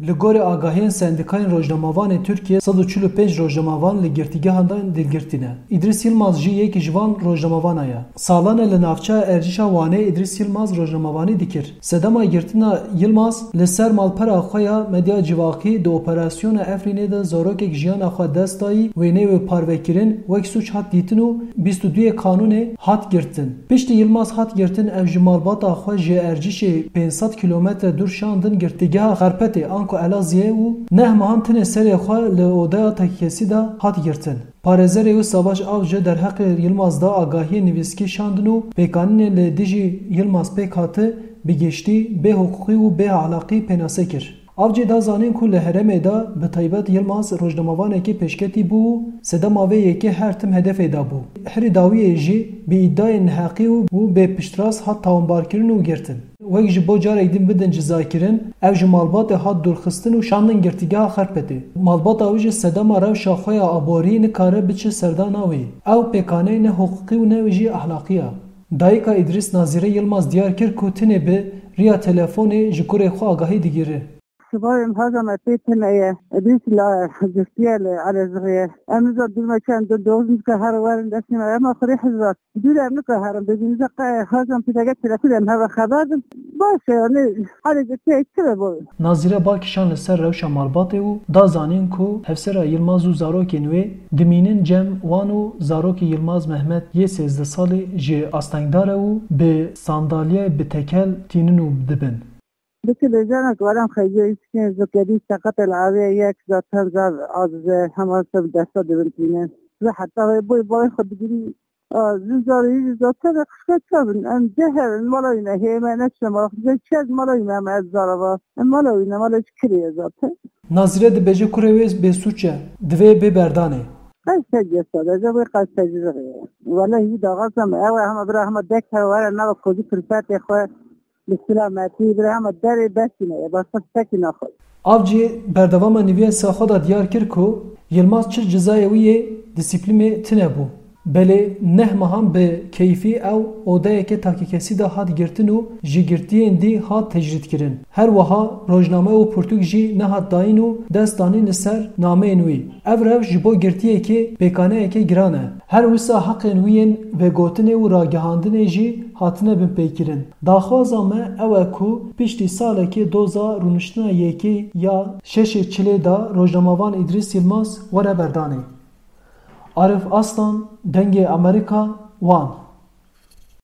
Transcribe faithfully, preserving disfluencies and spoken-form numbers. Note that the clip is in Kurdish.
Li gorî agahiyên Sendîkayên Rojnamevanê Tirkiyê, sed û çil û pênc rojnamevan li girtîgehan de dilgirtî ne. Îdrîs Yilmaz jî yekî ji van rojnamevana ye. Salan e li navçeya Ercîşa Wanê Îdrîs Yilmaz rojnamevanî dikir. Sedema girtina Yilmaz li ser malpera xwe ya medya civakî di operasyona Efrînê de zarokek jiyana xwe dest dayî, wêneyê wê parvekirin, wek sûc hat dîtin û bîst û duyê Kanûnê hat girtin. Piştî Yilmaz hat girtin, ew ji malbata xwe ji Ercîşê pênc sed kîlometre dûr şandin girtîgeha Xerpetê anku Elazığê û neh mehan tenê serê xwe li odeya tekkesî de hat girtin. Parêzerê wî Savaş Avcı derheqê Yilmaz de agahiyê nivîskî şandin û pêkanînên li dijî Yilmaz pêk hati bi giştî bêhiqûqî û bêehlaqî pênase kir. Avcı da zanîn ku li herêmê de bi taybet Yilmaz rojnamevanekî pêşketî bû û sedema vê yekê her tim hedefê de bû. Herî dawiyê jî bi îdiayên neheqî û, û bê piştrast hat tawanbarkirin û girtin. Wek ji bo carek din bidin cizakirin, ev ji malbatê hat dûrxistin û şandin girtîgeha Xerpetê. Malbata wî jî sedema rewşa xwe ya aborî nikare biçe serdana wî. Ew pêkaneyê ne hiqûqî û ne jî ehlaqî ye. Dayika Îdrîs Nazîre Yilmaz diyar kir ku tenê bi riya telefonê ji kurê xwe agahî digire. Sibayê em haza me pê tune ye. Îdrîs la girtiye li Elezixê ye. Em niza dûrme çend do doz nizka her werin destê me. Ema xurê hizrat. Dûr em nika herin bibîn. Niza qe hazan pîdege telefon em heve xeber din. Baş e, yani halê girtiye tire bo. Nazîre ba kişan li ser rewşa malbatê û da zanîn ku hevsera Yilmaz û zarokên wê dimînin cem wan û zarokê Yilmaz Mehmet yê sêzdeh salî jî astengdar e û bi sandalye bi tekel tînin û dibin. Biçi lêjana ku aram xeyye îçkin zokedî seqet el aviye yek zaten zar azize hema se bi desta dibin tînin. Ve heta ve boy boy xwe digirî. A, zin zarî zaten qişka çabin. Em cehevin mala wî ne hême ne çema. Ze çez mala wî me em ez zarava. Em mala wî ne mala çi kiriye zaten. Nazîre dibêje kurê wê bêsûç e, divê bê berdanê. Qey sed ye sade, ze wê qey sed ye. Wele hî daxaz em ew e hema bira hema dek her were nava kozî kulfetê xwe. Bi selametî, bira hema derê besîne ye, basa sekî naxwe. Avcı berdewama nivîsa xwe de diyar kir ku Yilmaz çi cizayê wî yê disiplînê tune bû. Belê neh mehan bi keyfî ew odeyeke takekesî de hat girtin û ji girtiyên dî hat tecrîdkirin. Her wiha rojname û pirtûk jî nehat dayîn û dest danîn li ser nameyên wî. Ev rewş ji bo girtiyekê pêkaneyeke giran e. Her wisa heqên wî yên vegotinê û ragihandinê jî hatine binpêkirin. Daxwaza me ew e ku piştî salekê doza rûniştina yekê ya şeşê çilê de rojnamevan Îdrîs Yilmaz were berdanê. Arif Aslan, Dengê Amerîka, Wan.